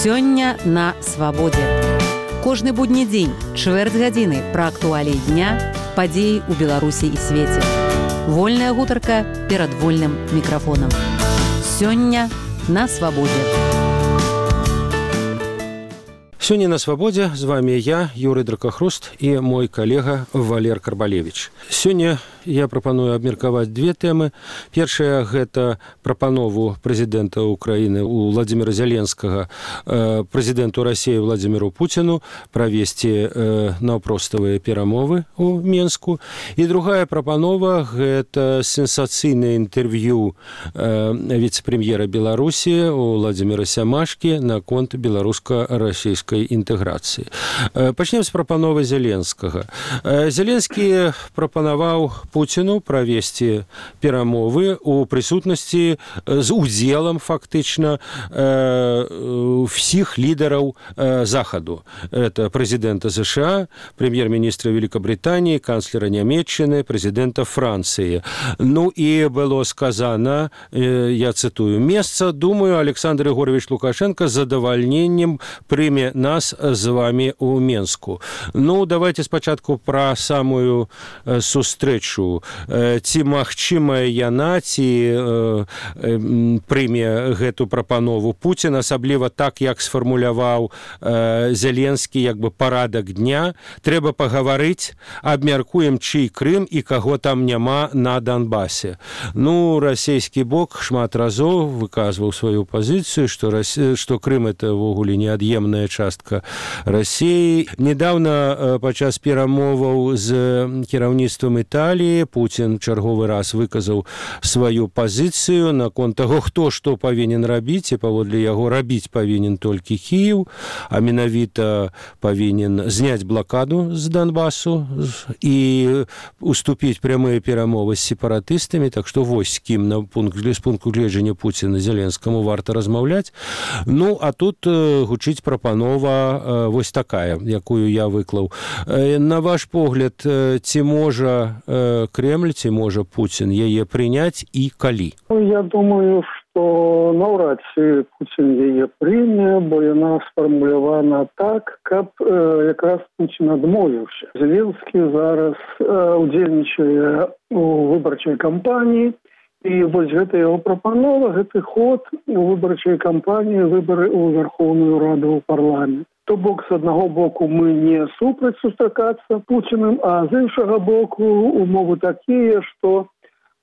Сёння на свабодзе. Кожны будні дзень, чвэрць гадзіны пра актуаліі дня, падзеі ў Беларусі і свеце. Вольная гутарка перад вольным мікрафонам. Сёння на свабодзе. Сёння на свабодзе з вами я, Юрый Дракахруст, і мой калега Валер Карбалевич. Сёння я прапаную абмеркаваць две тэмы. Першая – гэта прапанову прэзідэнта Украіны Владзіміра Зеленскага прэзідэнту Расіі Владзіміру Пуціну правесці наўпроставыя перамовы ў Менску. І другая прапанова – гэта сенсацыйнае інтэрв'ю віцэ-прэм'ера Беларусі Владзіміра Сямашкі наконт беларуска-расійскай інтэграцыі. Пачнем з прапановы Зеленскага. Зеленскі прапанаваў Пуціну правесці перамовы у прысутнасці з удзелам фактычна всіх лідараў Захаду. Это прэзідэнта США, прэм'ер-міністра Великобритании, канцлера Нямецчыны, прэзідэнта Францыі. Ну і было сказано, я цитую, «Месца, думаю, Александр Егорович Лукашенко з задавальненнем прыме нас з вами ў Менску». Ну, давайте спачатку пра самую сустрэчу. Ці магчымая яна, ці прыме гэту прапанову Пуцін, асабліва так, як сфармуляваў Зеленскі, як бы парадак дня. Трэба пагаварыць, абмяркуем, чый Крым і каго там няма на Донбасе. Ну, расійскі бок шмат разоў выказваў сваю пазіцыю, што Крым – это ввогуле неад'емная частка Расіі. Недавно падчас перамоваў з кіраўніцтвам Італіі Пуцін чарговы раз выказаў сваю пазіцыю наконт таго, хто што павінен рабіць, і паводле яго рабіць павінен толькі Кіеў, а менавіта павінен зняць блакаду з Донбасу і уступіць прямыя перамовы з сепаратыстамі, так што вось з кім з пункту гледжання Пуціна Зеленскаму варта размаўляць. Ну, а тут гучыць прапанова вось такая, якую я выклаў. На ваш погляд, ці можа Кремль, ці можа Пуцін яе прыняць і калі? Я думаю, што наўрад ці Пуцін яе прыме, бо яна сфармулявана так, каб якраз Пуцін адмовіўся. Зеленскі зараз удзельнічае у выбарчай кампаніі, і вось гэта яго прапанова, гэты ход у выбарчай кампаніі, выбары ў Верховную Раду ў парламент. То бок, з аднаго боку, мы не супраць сустракацца Пуціным, а з іншага боку, умовы такія, што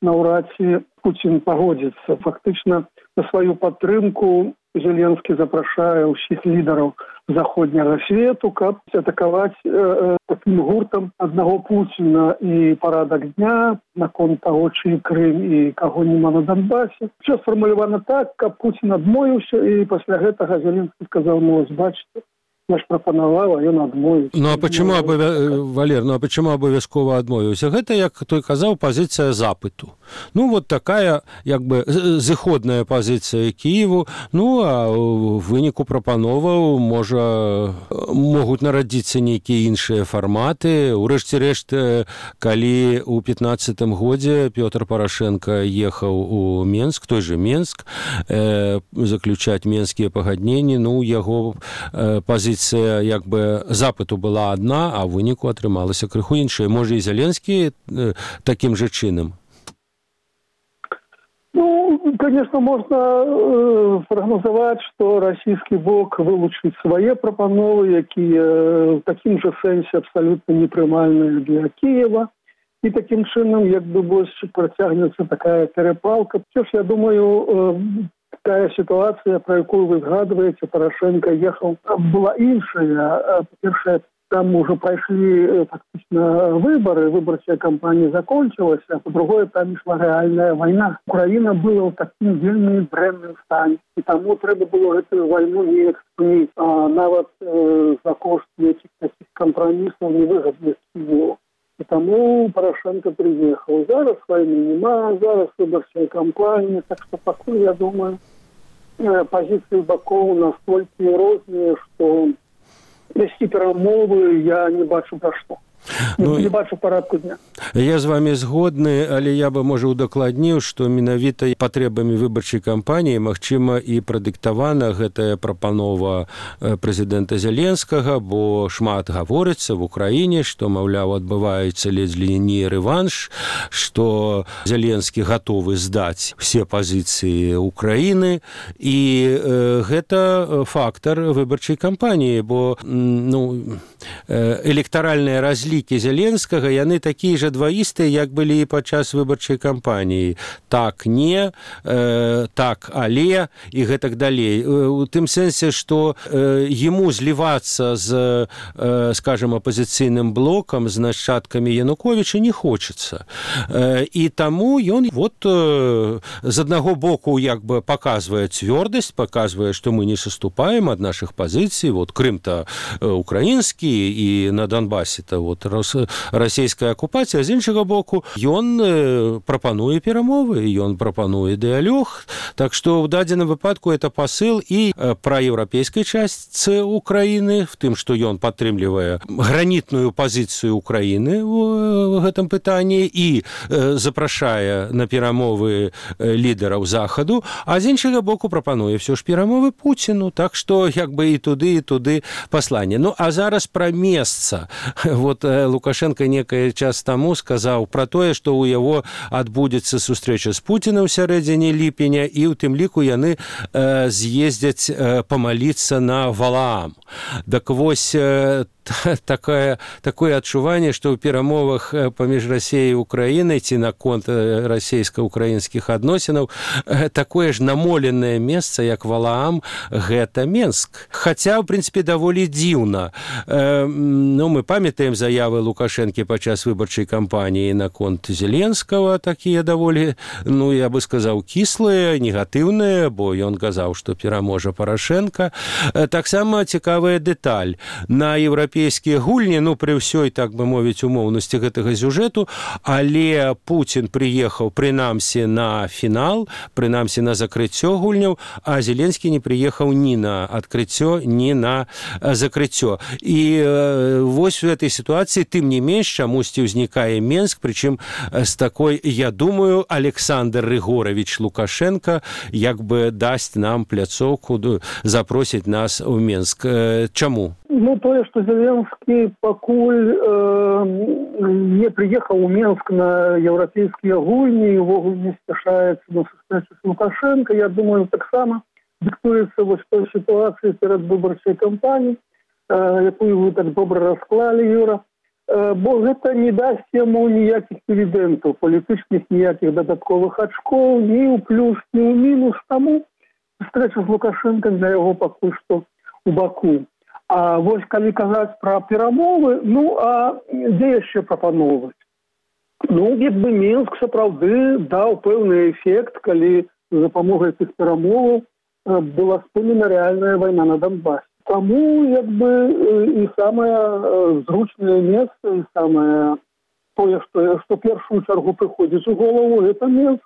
наўрад ці Пуцін пагодзіцца. Фактычна, на сваю падтрымку Зеленскі запрашае ўсіх лідараў заходняга свету, каб атакаваць такім гуртам аднаго Пуціна і парадак дня наконт таго, чый Крым і каго няма на Донбасе. Усё сфармулявана так, каб Пуцін адмовіўся, і пасля гэтага Зеленскі сказаў, ну, ось, бачыце, я ж прапанаваў, а ён адмовіўся. Ну, а почему, Валер, ну, а почему абавязкова адмовіўся? Гэта, як той казаў, пазіцыя запыту. Ну, вот такая, як бы, зыходная пазіцыя Кіеву. Ну, а ў выніку прапановаў могуць нарадзіцца нейкія іншыя фарматы. Урэшце-рэшт, калі ў 15-м годзе Пётр Парашенко ехаў у Менск, той же Менск, заключаць менскія пагадненні, ну, яго пазіцыя як бы запыту была адна, а ў выніку атрымалася крыху іншая. Можа, і Зеленскі такім жа чынам? Ну, конечно, можно прогнозовать, что российский бок вылучит свои пропановы, якія в таким же сенсе абсолютно непрымальные для Киева. И таким чином, як бы больше протягнется такая перепалка. Все ж, я думаю, такая ситуация, про якую вы згадываете, Порошенко ехал, была іншая. По-перше, там уже прошли фактично выборы, выборчая кампания закончилась, а по-другое, там шла реальная война. Украина была в таким вельми дрэнным стане, и тому треба было эту войну не экспонить, а нават за кошт этих таких компромиссов невыгодных Киеву. И тому Порошенко приехал. Зараз войны нема, зараз выборчая кампания, так что пока, я думаю, позиции боков настолько разные, что вести перамовы я не бачу пра што. Не бачу парадку дня. Я з вами згодны, але я бы, можа, удакладніў, што менавіта патрэбамі выбарчай кампаніі, магчыма, і прадыктавана гэтая прапанова прэзідэнта Зеленскага, бо шмат гаворыцца в Украіне, што, маўляў, адбываецца ледзь ли не рэванш, што Зеленскі гатовы здаць все пазіцыі Украіны, і гэта фактар выбарчай кампаніі, бо электаральныя разлікі Зеленскага, яны такія ж дваістыя, як былі і падчас выбарчай кампаніі. Так, не, так, але, і гэтак далей. У тым сэнсе, што яму злівацца з, скажем, апозіцыйным блокам, з нашчадкамі Януковіча не хочацца. І таму ён з аднаго боку як бы паказвае цвёрдасць, паказвае, што мы не саступаем ад нашых пазіцый. Крым-то украінскі, і на Донбасе-то расійская акупацыя, з іншага боку ён прапануе перамовы, ён прапануе дыялог, так што ў дадзеным выпадку это пасыл і пра еўрапейскай частцы Украіны, в тым, што ён падтрымлівае гранітную пазіцыю Украіны ў гэтым пытанні і запрашае на перамовы лідараў Захаду, а з іншага боку прапануе ўсё ж перамовы Пуціну, так што як бы і туды пасланне. А зараз пра месца. Лукашенко некий час таму сказаў пра тое, што ў яго адбудзецца сустрэча з Пуцінам у сярэдзіне ліпеня, і ў тым ліку яны з'ездзяць памаліцца на Валаам. Так вось, такое адчуванне, што ў перамовах паміж Расіяй і Украінай ці наконт расійска-украінскіх адносінаў такое ж намоленае месца, як Валаам, гэта Менск. Хаця, ў прынцыпе, даволі дзіўна. Мы памятаем заявы Лукашэнкі падчас выбарчай кампаніі наконт Зеленскага, такія даволі, я бы сказаў, кіслыя, негатыўныя, бо ён казаў, што пераможа Парашэнка. Таксама цікавая дэталь. На еўрапейскія гульні, пры ўсёй, так бы мовіць, умоўнасці гэтага сюжэту, але Пуцін прыехаў прынамсі на фінал, прынамсі на закрыццё гульняў, а Зеленскі не прыехаў ні на адкрыццё, ні на закрыццё. І вось у этой ситуации, тым не менш, чамусьці ўзнікае Менск, прычым з такой, я думаю, Александр Рыгорович Лукашенко як бы дасць нам пляцоўку, запросіць нас у Менск. Чаму? Тое, што Зеленскі пакуль не прыехаў у Менск на еўрапейскія гульні і ўвогуле не спяшаецца на сустрэчу з Лукашенко, я думаю, таксама дыктуецца вось той сітуацыі перад выбарчай кампаніяй, якую вы так добра расклалі, Юра, бо гэта не дасць яму ніякіх дывідэнтаў, палітычных ніякіх дадатковых ачкоў, ні ў плюс, ні ў мінус. Таму сустрэча з Лукашенко для яго пакуль што ў Баку. А вось калі казаць пра перамовы, а дзе яшчэ прапановваць? Як бы Мінск сапраўды даў пэўны эфект, калі з дапамогай тых перамоваў была спынена рэальная вайна на Донбасе. Таму, як бы, і самае зручнае месца, і самае тое, што першую чаргу прыходзіць у голову, гэта Мінск.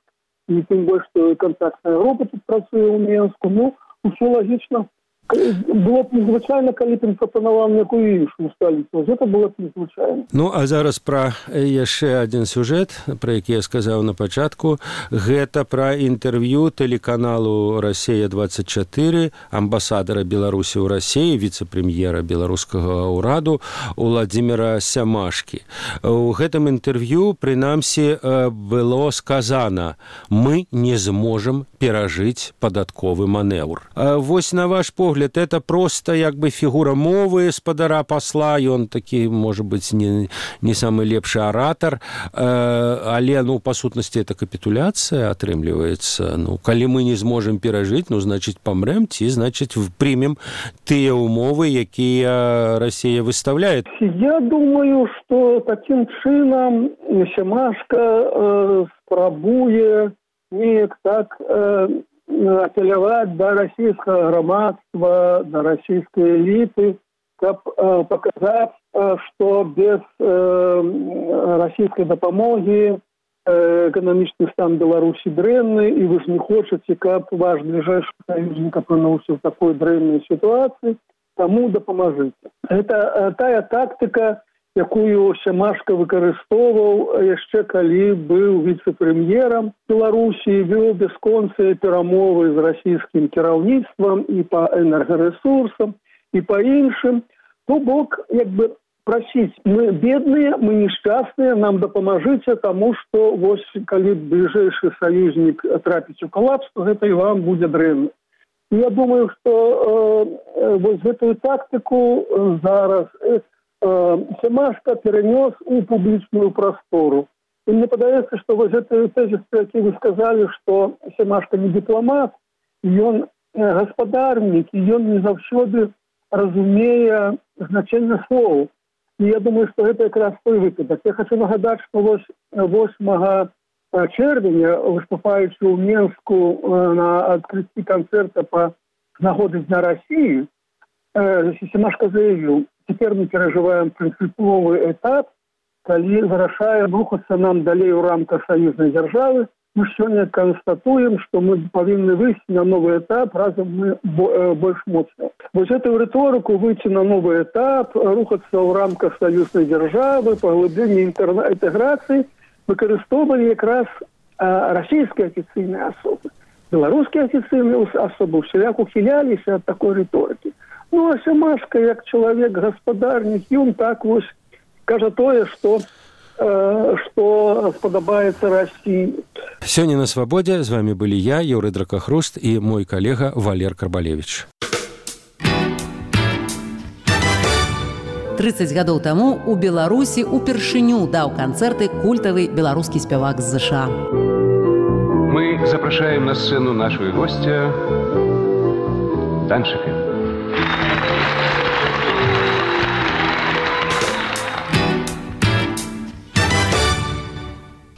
І тым больш, што кантактная група тут працуе ў Мінску. Усё лагічна. Было б незвычайна, калі б прапанаваў некую іншую сталіцу. Гэта было б незвычайна. А зараз пра яшчэ адзін сюжэт, пра які я сказаў на пачатку. Гэта пра інтэрв'ю тэлеканалу «Расія-24» амбасадара Беларусі ў Расіі, віцэ-прэм'ера беларускага ўраду Уладзіміра Сямашкі. У гэтым інтэрв'ю, прынамсі, было сказана: «Мы не зможам перажыць падатковы манеўр». Вось, на ваш погляд, это просто як бы фігура мовы спадара пасла, ён такі, можа быць, не самы лепшы аратар, але, па сутнасці, это капітуляцыя атрымліваецца. Калі мы не зможам перажыць, значыць, памрэм, ці, значыць, прымем тыя умовы, якія Расія выставляе. Я думаю, што такім чынам Сямашка спрабуе неяк так апеляваць да расійскага грамадства, да расійскай эліты, каб паказаць, што без расійскай дапамогі эканамічны стан Беларусі дрэнны, і вы ж не хочаце, каб ваш бліжэйшы саюзнік апынуўся ў такой дрэннай сітуацыі, таму дапамажыце. Гэта тая тактыка, якую Сямашка выкарыстоўваў яшчэ калі быў віцэ-прэм'ерам Беларусі, вёў бясконцыя перамовы з расійскім кіраўніцтвам і па энергарэсурсам, і па іншым. То бок, як бы прасіць, мы бедныя, мы несчастныя, нам дапамажыце, таму што вось калі бліжэйшы саюзнік трапіць у калапс, то гэта і вам будзе дрэнна. Я думаю, што вось гэтую тактыку зараз Сямашка перанёс у публічную прастору. І мне падаецца, што вось гэты тэзіс, які вы сказалі, што Сямашка не дыпламат, ён гаспадарнік, і ён не заўсёды разумее значэнне слоў. І я думаю, што гэта якраз той выпадак. Я хочу нагадаць, што вось 8 чэрвеня, выступаючы ў Менску на адкрыцці канцэрта па нагоды Дня России, Сямашка заявіў: «Теперь мы переживаем принциповый этап, калі вырашаем рухацца нам далей у рамках саюзнай дзяржавы. Мы сёння констатуем, што мы павінны выйсці на новый этап, разам мы больш моцныя». Вось эту рыторыку выйти на новый этап, рухацца ў рамках саюзнай дзяржавы, паглыбленне інтэграцыі выкарыстоўвалі якраз расійскія афіцыйныя асобы. Беларускія афіцыйныя асобы ўсяляк ухіляліся ад такой рыторыкі. Ну, а Сямашка, як чалавек гаспадарнік, ён так вось кажа тое, што спадабаецца Расіі. Сёння на Свабодзе з вами былі я, Юрый Дракахруст, і мой калега Валер Карбалевич. 30 гадоў таму у Беларусі упершыню даў канцэрты культавы беларускі спявак з ЗША. Мы запрашаем на сцену нашего гостя Данчика.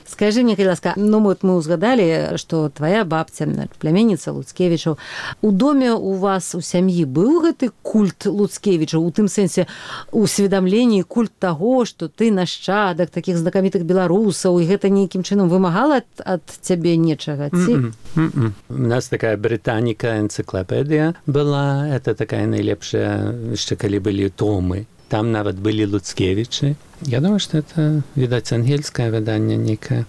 Скажи мне, калі ласка, ну вот мы узгадалі, што твоя бабця, пляменніца Луцкевічаў. У доме у вас, у сям'і быў гэты культ Луцкевічаў, у тым сэнсе усведамленні, культ таго, што ты нашчадак такіх знакамітых беларусаў, і гэта нейкім чынам вымагала ад цябе нечага? У нас такая британіка энцыклапедыя была, это такая найлепшая, яшчэ калі былі томы. Там нават былі Луцкевічы. Я думаю, што это, відаць, ангельскае выданне некае.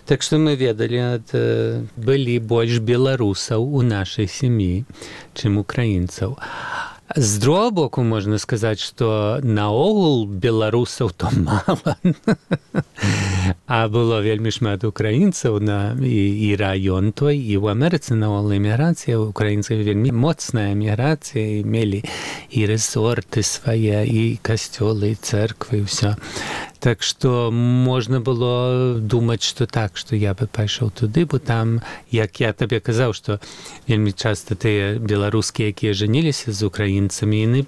Так што мы ведалі, былі больш беларусаў у нашай сям'і, чым украінцаў. З другого боку, можна сказаць, што наогул беларусаў то мала. А было вельмі шмат украінцаў і раён той, і ў Амерыцы наогул эміграцыя, украінцаў вельмі моцная эміграцыя, і мелі і рэсорты свае, і касцёлы, і цэрквы, і ўсё. Так што можна было думаць, што так, што я бы пайшоў туды, бо там, як я табе казаў, што вельмі часта тыя беларускія, якія жаніліся з украінцамі, яны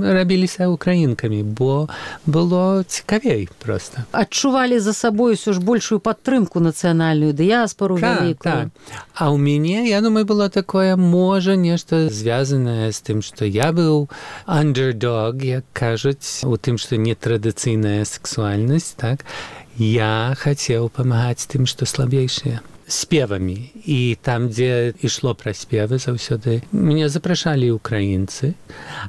рабіліся украінкамі, бо было цікавей проста. Адчувалі за сабой усё ж большую падтрымку нацыянальную, дыяспору вялікую. А ў мяне, я думаю, было такое, можа, нешта звязанае з тым, што я быў underdog, як кажуць, у тым, што нетрадыцыйная сексуальнасць, так? Я хацеў памагаць тым, што слабейшыя. Спевамі. І там, дзе ішло пра спевы, заўсёды мяне запрашалі украінцы.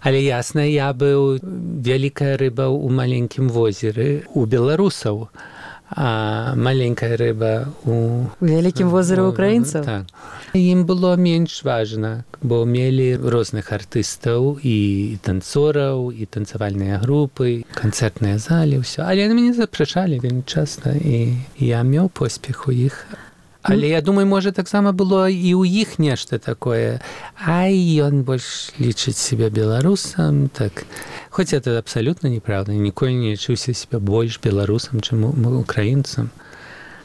Але ясна, я быў вялікая рыба ў маленькім возеры у беларусаў, а маленькая рыба у вялікім возеры украінцаў. Так. Ім было менш важна, бо мелі розных артыстаў і танцораў, і танцавальныя групы, канцэртныя залі, ўсё. Але мяне запрашалі вельмі часта, і я меў поспех у іх. Але я думаю, можа, таксама было і ў іх нешта такое. Ай, ён больш лічыць себе беларусам, так. Хоць это абсалютна неправда. Ніколі не лічыўся себе больш беларусам, чым украінцам.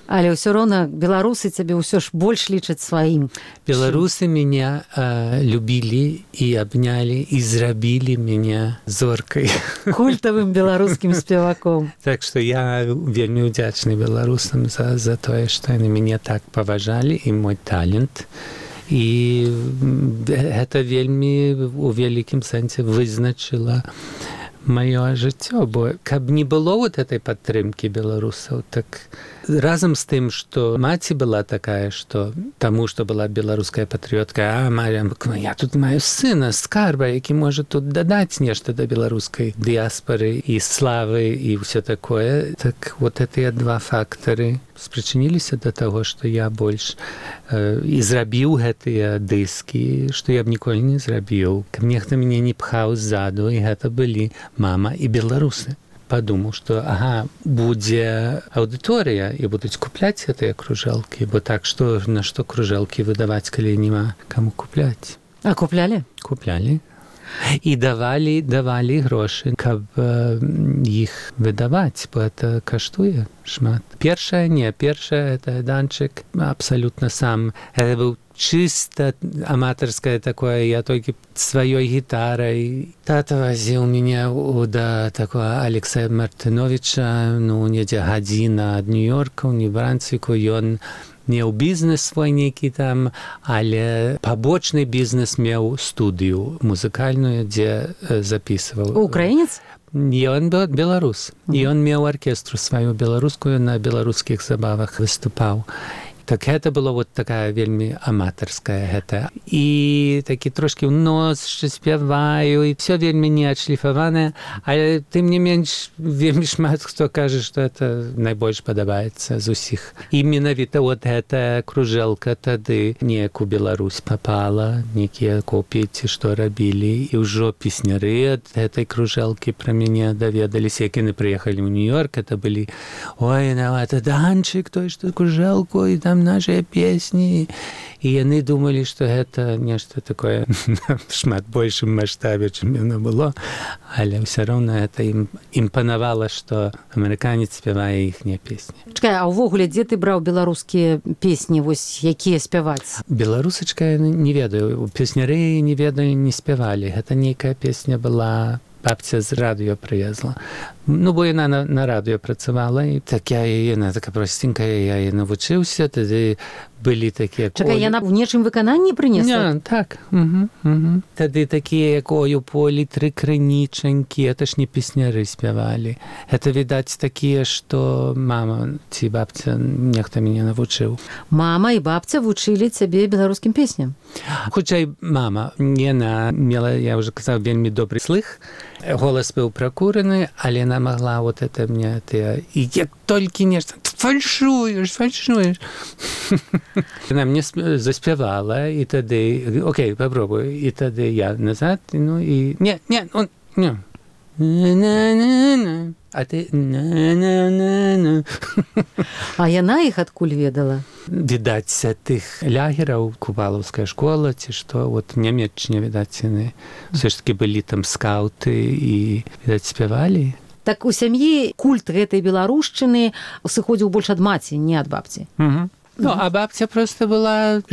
Але ўсё роўна беларусы цябе ўсё ж больш лічаць сваім. Беларусы мяне любілі і абнялі і зрабілі мяне зоркай. Культавым беларускім спеваком. Так што я вельмі ўдзячны беларусам за тое, што яны мяне так паважалі, і мой талент. І гэта вельмі у вялікім сэнсе вызначыла маё жыццё, бо каб не было вот этой падтрымкі беларусаў, так разам з тым, што маці была такая, што таму, што была беларуская патрыётка, я тут маю сына, скарба, які можа тут дадаць нешта да беларускай дыяспары і славы і ўсё такое. Так вот гэтыя два фактары спрычыніліся да таго, што я больш і зрабіў гэтыя дыскі, што я б ніколі не зрабіў. Каб нехта мяне не пхаў ззаду, і гэта былі мама і беларусы. Падумаў, што будзе аўдыторыя і будуць купляць гэтыя кружэлкі, бо так, што на што кружэлкі выдаваць, калі няма каму купляць. А куплялі? Куплялі. І давалі грошы, каб іх выдаваць, бо это каштуе шмат. Першае, это данчык абсалютна сам. Это быў чисто аматарское такое, я толькі сваёй гітарай. Тата вазіў мяне да такого Алекса Мартыновича, недзе гадзіна ад Нью-Йорка, ў Нью-Брансвіку. Ён меў бізнес свой нейкі там, але пабочны бізнес меў студыю музыкальную, дзе запісваў. Украінец? Ён беларус. І ён меў аркестру сваю беларускую, на беларускіх забавах выступаў. Так гэта было вот такая вельмі аматарская гэта. І такі трошкі ў нос, што спяваю, і все вельмі не адшліфаванае, але тым не менш вельмі шмат хто кажа, што это найбольш падабаецца з усіх. І менавіта вот гэта кружэлка тады неяк у Беларусь папала, нейкія копіі ці што рабілі, і ўжо песняры ад гэтай кружэлкі пра мяне даведаліся, як яны прыехалі ў Нью-Йорк, это былі, ой, это Данчык, той, што кружэлку, і там нашыя песні. І яны думалі, што гэта нешта такое шмат большым маштабе, чым яно было, але ўсё роўна гэта ім імпанавала, што амерыканец спявае іхнія песні. Чакай, а ўвогуле, дзе ты браў беларускія песні, вось якія спяваць? Беларусачка я не ведаю, песняры не ведаю, не спявалі. Гэта нейкая песня была, бабця з радыё прывезла. Бо яна на радыё працавала, і яна така простенькая, я яе навучыўся, тады былі такія... Чакай, яна ў нечым выкананні прынесла? Не, так. Тады такія, як «Ой, у полі тры крынічанькі», это ж не песняры спявалі. Это, відаць, такія, што мама ці бабця нехта мяне навучыў. Мама і бабця вучылі цябе беларускім песням? Хутчэй, мама. Яна мела, я ўжо казаў, вельмі добры слых. Голас быў пракураны, але яна могла вот это мне... І як толькі нешта... Фальшуеш. Яна мне заспявала, і тады... Окей, попробуй. І тады я назад, і... Не. А ты... А яна іх адкуль ведала? Відаць, тых лягераў, Кувалаўская школа, ці што, вот в Нямецчыне, відаць, яны все ж таки былі там скауты і, відаць, спявалі. Так у сям'і культ гэтай беларушчыны сыходзіў больш ад маці, не ад бабці. А бабця просто яна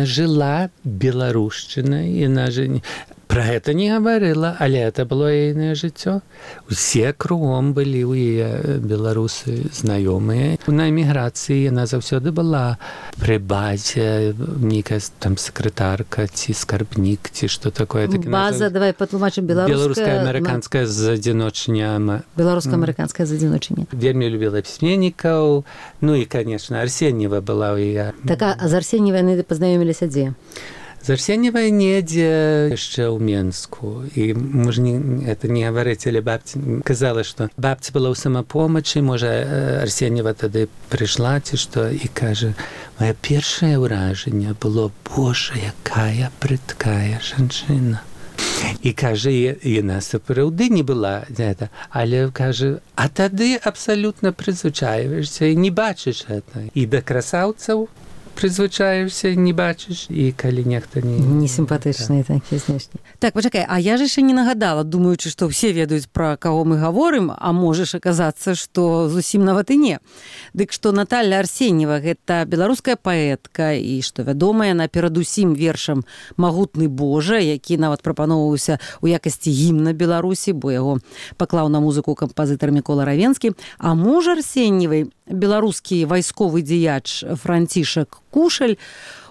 жила беларушчынай, яна же... Пра гэта не гаварыла, але это было яе жыццё. Усе кругом былі ў яе беларусы знаёмыя. На эміграцыі яна заўсёды была пры базе, нейкая там сакратарка ці скарбнік, ці што такое. База, давай патлумачым, беларуска-амерыканская задзіночня. Беларуска-амерыканская задзіночня. Вельмі любіла пісьменнікаў. І, конечно, Арсеньева была ў яе. Так, а з Арсеньевай яны пазнаёміліся дзе? З Арсеньевай недзе яшчэ ў Менску. І можа это не гаварыць, але бабця казала, што бабця была ў самапомачы, можа Арсеньева тады прыйшла ці што, і кажа, моё першае ўражанне было, божа, якая прыткая жанчына. І кажа, яна сапраўды не была гэта, але кажа, а тады абсалютна прызвычаіваешся і не бачыш гэта. І да красаўцаў прызвычаешся, не бачыш, і калі нехта не сімпатычныя такія знешні. Так, пачакай, а я ж яшчэ не нагадала, думаючы, што ўсе ведаюць, пра каго мы гаворым, а можаш аказацца, што зусім нават і не. Дык што Наталья Арсеньева гэта беларуская паэтка, і што вядомая яна перадусім вершам «Магутны Божа», які нават прапаноўваўся ў якасці гімна Беларусі, бо яго паклаў на музыку кампазітар Мікола Равенскі. А муж Арсеньевай, беларускі вайсковы дзеяч Францішак Кушаль,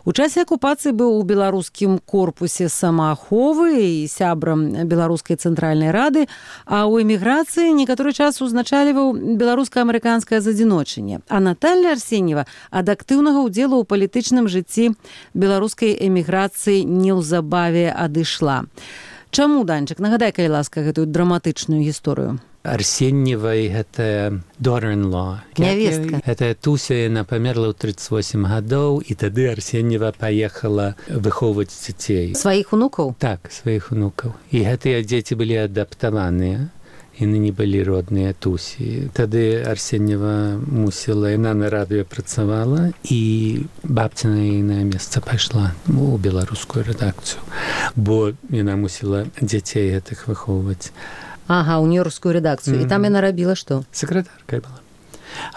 У часе акупацыі быў у беларускім корпусе самааховы і сябрам Беларускай цэнтральнай рады, а ў эміграцыі некаторы час узначальваў беларуска-амерыканскае задзіночанне. А Наталья Арсеньева ад актыўнага ўдзелу ў палітычным жыцці беларускай эміграцыі неўзабаве адышла. Чаму, Данчык? Нагадай, калі ласка, гэтую драматычную гісторыю. Арсеньевай гэта daughter-in-law. Нявестка. Гэта Туся, яна памерла ў 38 гадоў, і тады Арсеньева паехала выхоўваць дзяцей. Сваіх унукаў? Так, сваіх унукаў. І гэтыя дзеці былі адаптаваныя. Яны не былі родныя Тусі. Тады Арсеньева мусіла, яна на радыё працавала, і бабця на ейнае месца пайшла у беларускую рэдакцыю, бо яна мусіла дзяцей гэтых выхоўваць. Ага, ў нью-йоркскую рэдакцыю. І там яна рабіла што? Сакратаркай была.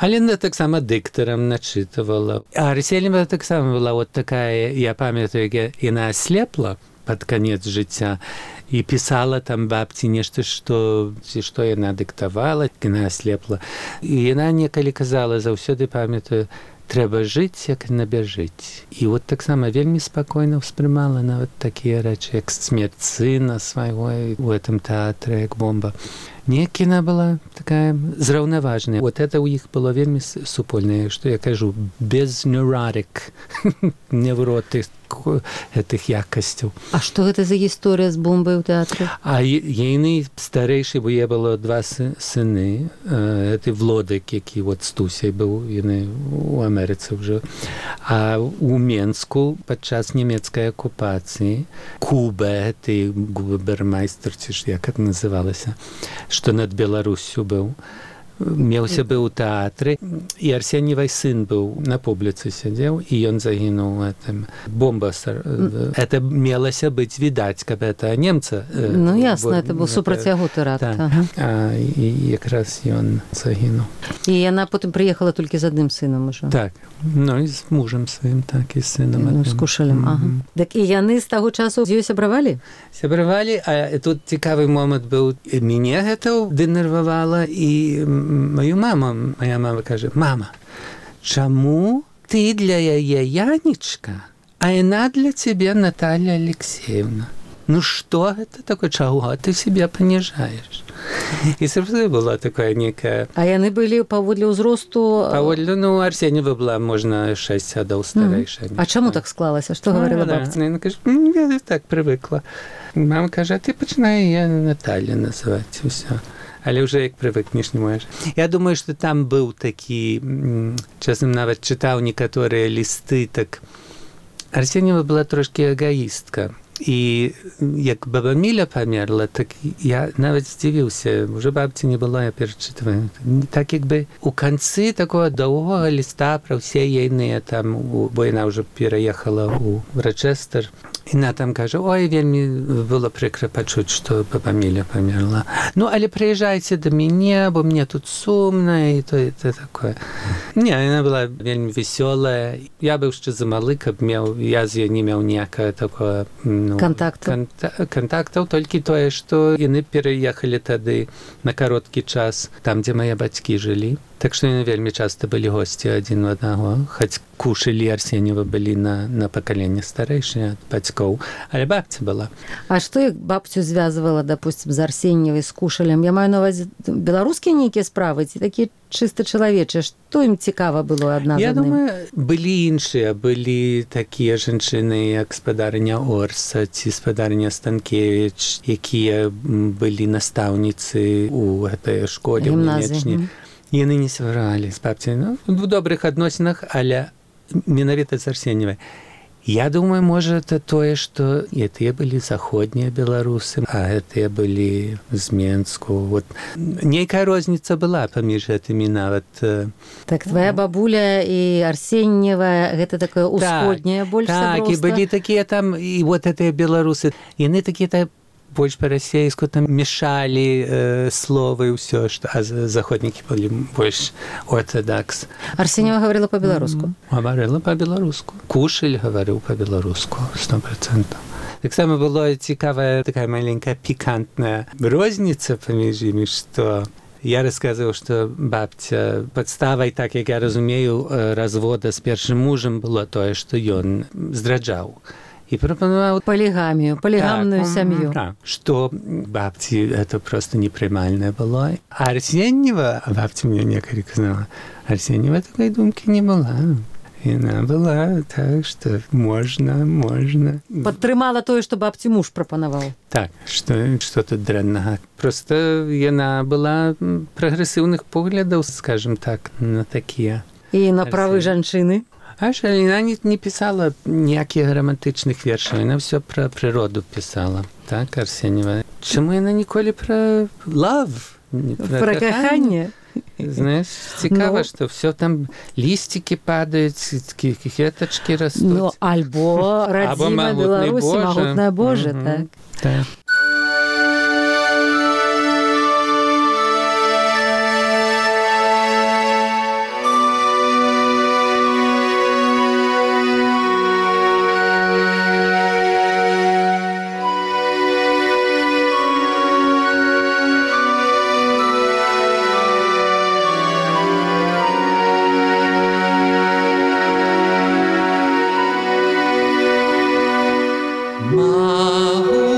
Але яна таксама дыктарам начытывала. А Арсеньева таксама была вот такая, я памятаю, яна аслепла пад канец жыцця, і пісала там бабці нешта, што яна дыктавала, яна аслепла. І яна некалі казала, заўсёды памятаю, трэба жыць, як набяжыць. І вот таксама вельмі спакойна ўспрымала нават такія рэчы, як смерць сына свайго у гэтым тэатры, як бомба. Неяк яна была такая зраўнаважная. Вот это ў іх было вельмі супольнае, што я кажу, без neurotic, невроты гэтых якасцяў. А што гэта за гісторыя з бомбай у тэатры? А яны старэйшы, бо я было 2 сыны. Гэты Влодык, які вот з Тусяй быў, яны у Амерыцы ўжо. А у Менску падчас нямецкай акупацыі Куба, гэты губермайстер, ці ж як это называлася, што над Беларусю быў. Меўся быў у тэатры, і Арсеньевай сын быў на публіцы сядзеў, і ён загінуў гэтым. Бомба. Это мелася быць відаць, каб это немца. Ну, ясна, это быў супраць яго тэракт. І якраз ён загінуў. І яна потым прыехала толькі з адным сынам ужо. Так. Ну, і з мужам сваім, так, і з сынам. Ну, з Кушалем, ага. Так і яны з таго часу з ёй сябравалі? Сябравалі, а тут цікавы момант быў. Мяне гэта дэнервавала, і маю маму, моя мама кажа, мама, чаму ты для яе Янечка, а яна для цябе Наталья Алексеевна? Ну што гэта такое, чаго ты себе паніжаеш? І сапраўды была такая некая... А яны былі паводле ўзросту... Паводле, ну, Арсеньева была, можна, 6 гадоў старэйшая. А чаму так склалася? Што гаварыла бабця? Яна кажа, я так прывыкла. Мама кажа, ты пачынай я Наталья называць, усё. Але ўжо як прывыкнеш, не можаш. Я думаю, што там быў такі, часам нават чытаў некаторыя лісты, так Арсеньева была трошкі эгоістка. І як баба Міля памерла, так я нават здзівіўся, уже бабці не было, я перачытваю. Так як бы у канцы такого доўгога ліста пра ўсе ейныя там, бо яна ўжо пераехала ў Рочестер, яна там кажа, ой, вельмі было прыкра пачуць, што баба Міля памерла. Ну, але прыязджайце да мяне, бо мне тут сумна, і то такое. Не, яна была вельмі весёлая. Я быў яшчэ замалы, каб я з ёй не меў ніякага такого контактаў, толькі тое, што яны пераехалі тады на кароткі час там, дзе мае бацькі жылі. Так што яны вельмі часта былі госці адзін у аднаго, хоць Кушаль і Арсеньева былі на пакаленне старэйшыя ад бацькоў, але бабця была. А што як бабцю звязвала, допустим, з Арсеньевай, з Кушалем? Я маю на увазе беларускія нейкія справы, ці такія чыста чалавечыя? Што ім цікава было адна з адным? Я думаю, былі іншыя, былі такія жанчыны, як спадарыня Орса ці спадарыня Станкевіч, якія былі настаўніцы ў гэтай школе, ў Нямечні. Яны не сваралі з бабцяй, ну, в добрых адносінах, але менавіта з Арсеньевай. Я думаю, можа, это тое, што гэтыя былі заходнія беларусы, а гэтыя былі з Менску. Вот. Нейкая розніца была паміж гэтымі нават. Так, твоя бабуля і Арсеньева, гэта такое ўсходняе больш сяброўства? Так, і былі такія там, і вот гэтыя беларусы, яны такія больш па-расейску там мешалі словы і ўсё, а заходнікі былі больш ортодакс. Арсеньева гаварыла па-беларуску? Гаварыла па-беларуску. Кушаль гаварыў па-беларуску, 100%. Таксама была цікавая такая маленькая пікантная розніца паміж імі, што Я рассказывал, что бабця подставай, так як я разумею, развода з першым мужам было тое, што ён здраджаў. И пропонувал полигамию, полигамную семью. Да, что бабці это просто непрымальное было. А Арсеньева, бабця мне некалі казала, Арсеньева такой думки не была. И она была так, что можно. Падтрымала тое, што бабці муж прапанаваў. Так, что тут дрэннага. Просто яна была прагрэсіўных поглядаў, скажем так, на такія. І на правы жанчыны. Аж яна не пісала ніякіх романтычных вершаў, яна ўсё пра прыроду пісала. Так, Арсеньева. Чаму яна ніколі пра love? Пра каханне? Знаешь, цікава, што все там лістики падаюць, кветачкі растуць. Ну, альбо радзіма Беларусі, магутная Божа, так. Так. Mahut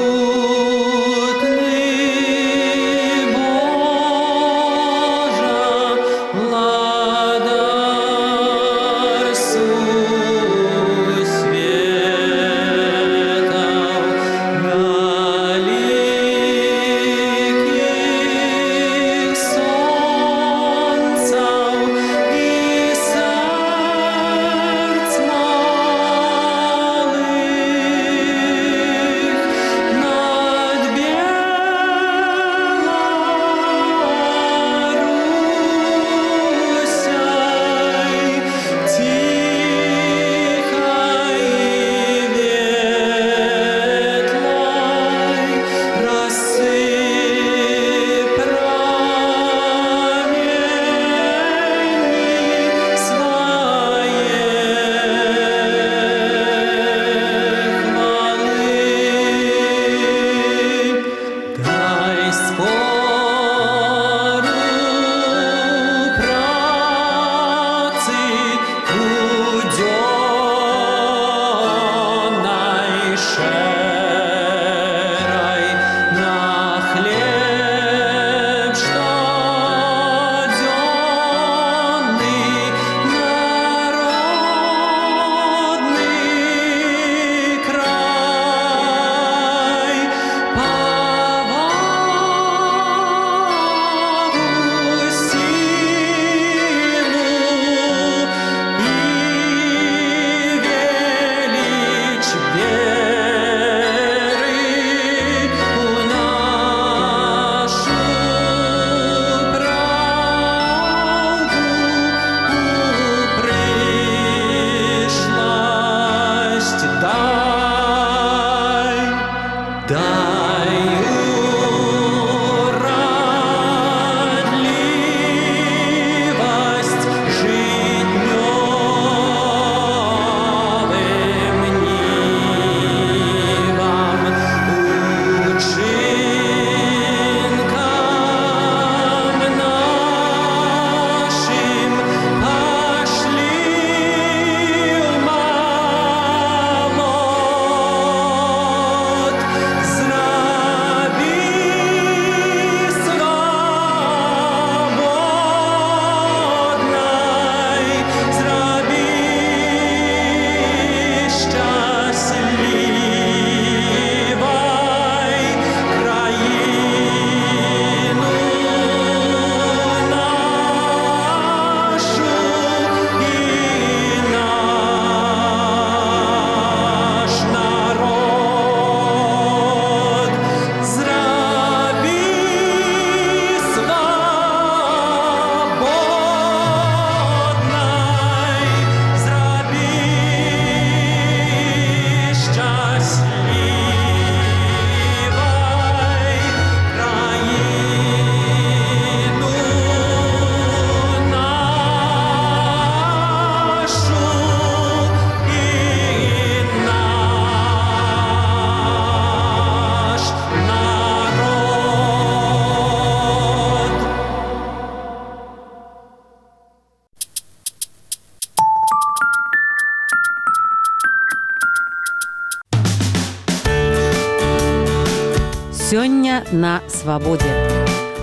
Сёння на свабодзе.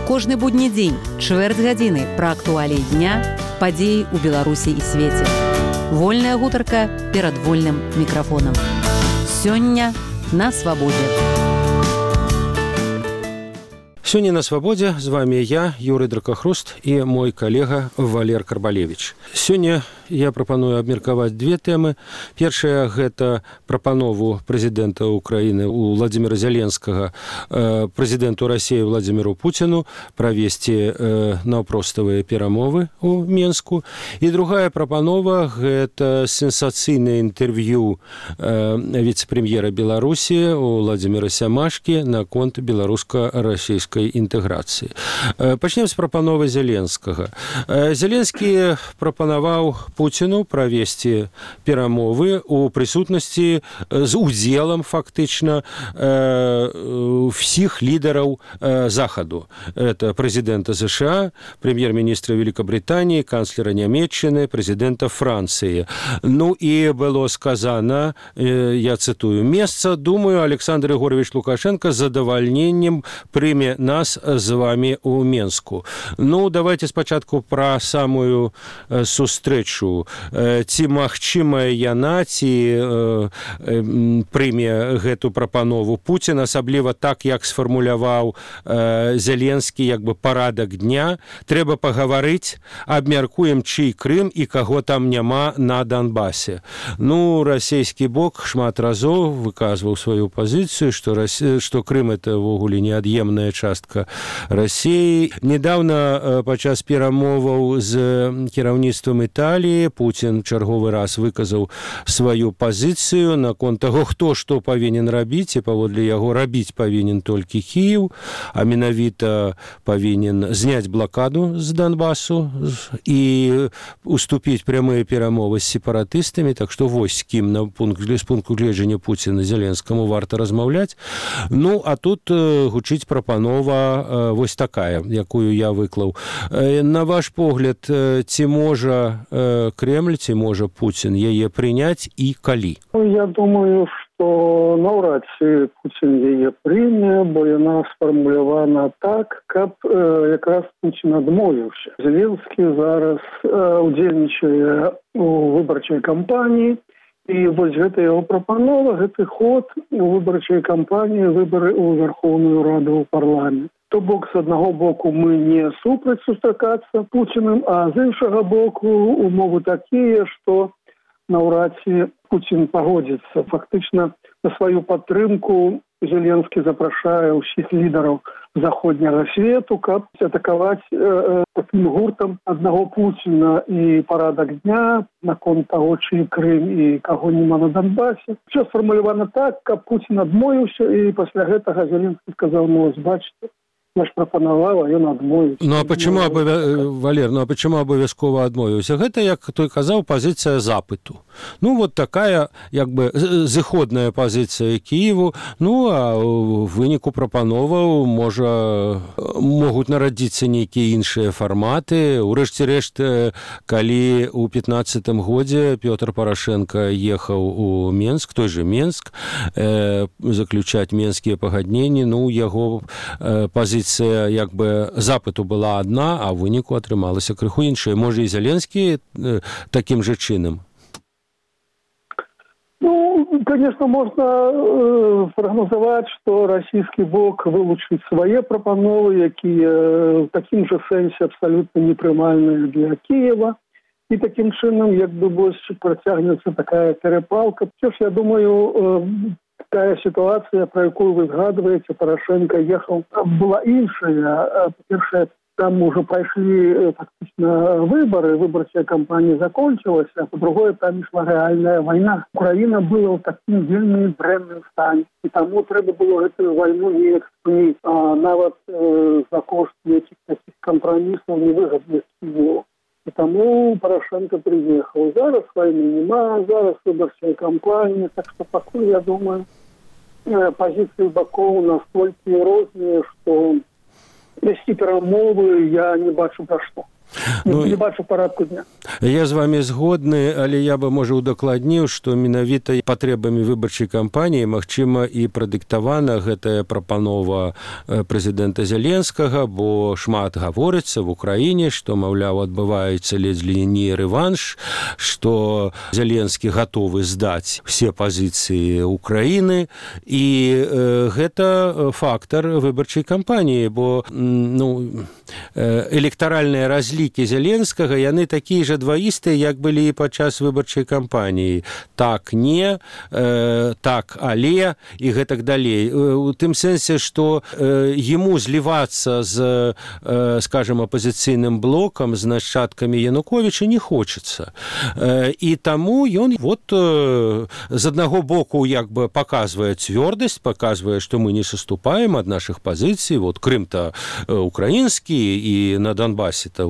Кожны будні дзень, чвэрць гадзіны пра актуаліі дня, падзеі ў Беларусі і свеце. Вольная гутарка перад вольным мікрафонам. Сёння на свабодзе. Сёння на свабодзе з вами я, Юрый Дракахруст, і мой калега Валер Карбалевич. Сёння я прапаную абмеркаваць две тэмы. Першая – гэта прапанову прэзідэнта Украіны Владзіміра Зяленскага прэзідэнту Расіі Владзіміру Пуціну правесці наўпроставыя перамовы ў Менску. І другая прапанова – гэта сенсацыйнае інтэрв'ю віцэ-прэм'ера Беларусі Владзіміра Сямашкі наконт беларуска-расійскай інтэграцыі. Пачнем з прапановы Зяленскага. Зяленскі прапанаваў Пуціну правесці перамовы ў прысутнасці з удзелам фактычна всіх лідараў Захаду. Это прэзідэнта США, прэм'ер-міністра Великабрытаніі, канцлера Нямецчыны, прэзідэнта Францыі. Ну і было сказана, я цытую, «Месца, думаю, Александр Егорович Лукашенко з задавальненнем прыме нас з вами ў Менску». Ну, давайте спачатку пра самую сустрэчу. Ці магчымая яна, ці прыме гэту прапанову Пуцін, асабліва так, як сфармуляваў Зяленскі, як бы парадак дня. Трэба пагаварыць, абмяркуем, чый Крым і каго там няма на Донбасе. Ну, расійскі бок шмат разоў выказваў сваю пазіцыю, што Крым – это ўвогуле неад'емная частка Расіі. Недавно падчас перамоваў з кіраўніцтвам Італіі Пуцін чарговы раз выказаў сваю пазіцыю наконт таго, хто што павінен рабіць, і паводле яго рабіць павінен толькі Кіеў, а менавіта павінен зняць блакаду з Донбасу і уступіць прямыя перамовы з сепаратыстамі, так што вось з кім з пункту гледжання Пуціна Зяленскаму варта размаўляць. Ну, а тут гучыць прапанова вось такая, якую я выклаў. На ваш погляд, ці можа Кремль, ці можа Пуцін яе прыняць і калі? Я думаю, што наўрад ці Пуцін яе прыме, бо яна сфармулявана так, каб якраз Пуцін адмовіўся. Зеленскі зараз удзельнічае у выбарчай кампаніі, і вось гэта яго прапанова, гэты ход у выбарчай кампаніі, выбары ў Верховную Раду ў парламент. То бок, з аднаго боку, мы не супраць сустракацца Пуціным, а з іншага боку, умовы такія, што наўрад ці Пуцін пагодзіцца. Фактычна, на сваю падтрымку Зеленскі запрашае ўсіх лідараў заходняга свету, каб атакаваць такім гуртам аднаго Пуціна і парадак дня наконт таго, чый Крым і каго няма на Донбасе. Усё сфармулявана так, каб Пуцін адмовіўся, і пасля гэтага Зеленскі сказаў, ну, бачыце, я ж прапанаваў, а ён адмовіўся. Ну, а почему, Валер, почему абавязкова адмовіўся? Гэта, як той казаў, пазіцыя запыту. Ну, вот такая, як бы, зыходная пазіцыя Кіеву. Ну, а ў выніку прапановаў могуць нарадзіцца нейкія іншыя фарматы. Урэшце рэшт, калі ў 15-м годзе Пётр Парашенко ехаў у Менск, той же Менск, заключаць менскія пагадненні, ну, яго пазіцыя як бы запыту была адна, а ў выніку атрымалася крыху іншая. Можа, і Зяленскі такім жа чынам? Ну, конечно, можно прогнозовать, что российский бок вылучит свои пропановы, якія в таким же сенсе абсолютно непрымальные для Киева. И таким чином, як бы больше протягнется такая перепалка. Все ж, я думаю, такая ситуация, про якую вы згадываете, Порошенко ехал, была іншая. По-перше, там уже прошли фактично выборы, выборчая кампания закончилась, а по-другое, там шла реальная война. Украина была в таким вельми дрэнным стане, и тому треба было эту войну не экспонить, а нават за кошт этих таких компромиссов невыгодных Киеву. И тому Порошенко приехал. Зараз войны нема, зараз выборчая кампания, так что пока, я думаю, позиции боков настолько разные, что вести перамовы я не бачу про что. Не бачу парадку дня. Я з вами згодны, але я бы, можа, удакладніў, што менавіта патрэбамі выбарчай кампаніі, магчыма, і прадыктавана гэтая прапанова прэзідэнта Зеленскага, бо шмат гаворыцца в Украіне, што, маўляў, адбываецца ледзь ли не рэванш, што Зеленскі гатовы здаць все пазіцыі Украіны, і гэта фактар выбарчай кампаніі, бо электаральныя разлікі Зеленскага, яны такія ж дваістыя, як былі і падчас выбарчай кампаніі. Так, не, так, але, і гэтак далей. У тым сэнсе, што яму злівацца з, скажем, апозіцыйным блокам, з нашчадкамі Януковіча не хочацца. І таму ён з аднаго боку як бы паказвае цвёрдасць, паказвае, што мы не саступаем ад нашых пазіцый. Крым-то украінскі, і на Донбасе-то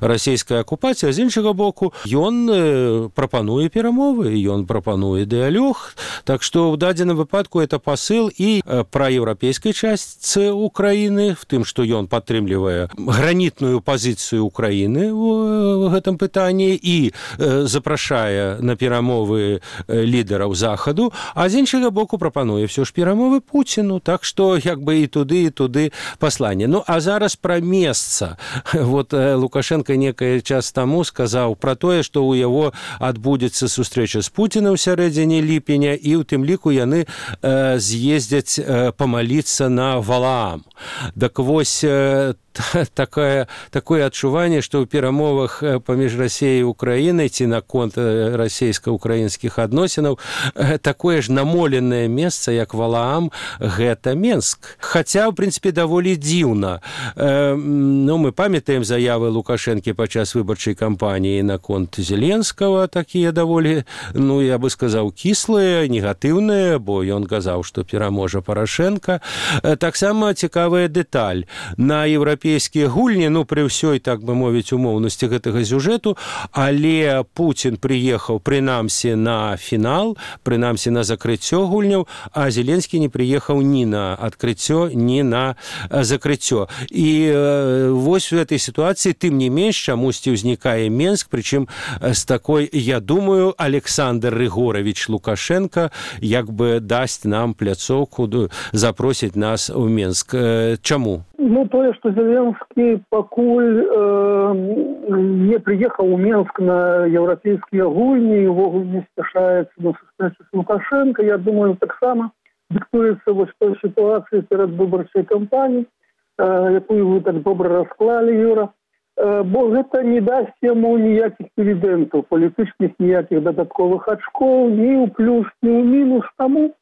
расійская акупацыя, з іншага боку ён прапануе перамовы, ён прапануе дыялог, так што ў дадзеным выпадку это пасыл і праеўрапейскай частцы Украіны, в тым, што ён падтрымлівае гранітную пазіцыю Украіны ў гэтым пытанні і запрашае на перамовы лідараў Захаду, а з іншага боку прапануе ўсё ж перамовы Пуціну, так што як бы і туды пасланне. А зараз пра месца. Лукашенко некий час таму сказаў пра тое, што ў яго адбудзецца сустрэча з Пуцінам сярэдзіне ліпеня, і ў тым ліку яны з'ездзяць памаліцца на Валаам. Так вось, такое адчуванне, што ў перамовах паміж Расіяй і Украінай ці наконт расійска-украінскіх адносінаў такое ж намоленае месца, як Валаам, гэта Менск. Хаця, ў прынцыпе, даволі дзіўна. Мы памятаем заявы Лукашэнкі падчас выбарчай кампаніі наконт Зеленскага, такія даволі, я бы сказаў, кіслыя, негатыўныя, бо ён казаў, што пераможа Парашэнка. Таксама цікавая дэталь. На еўрапейскія гульні, пры ўсёй, так бы мовіць, умоўнасці гэтага сюжэту, але Пуцін прыехаў, прынамсі, на фінал, прынамсі, на закрыццё гульняў, а Зеленскі не прыехаў ні на адкрыццё, ні на закрыццё. І вось у этой ситуации, тым не менш, чамусьці ўзнікае Менск, прычым з такой, я думаю, Александр Рыгорович Лукашенко як бы дасць нам пляцоўку, запросіць нас у Менск. Чаму? Тое, што Зеленскі пакуль не прыехаў у Менск на еўрапейскія гульні і ўвогуле не спяшаецца на сустрэчу з Лукашенко, я думаю, таксама дыктуецца вось той сітуацыі перад выбарчай кампаніяй, якую вы так добра расклалі, Юра, бо гэта не дасць яму ніякіх дывідэнтаў, палітычных ніякіх дадатковых ачкоў, ні ў плюс, ні ў мінус, таму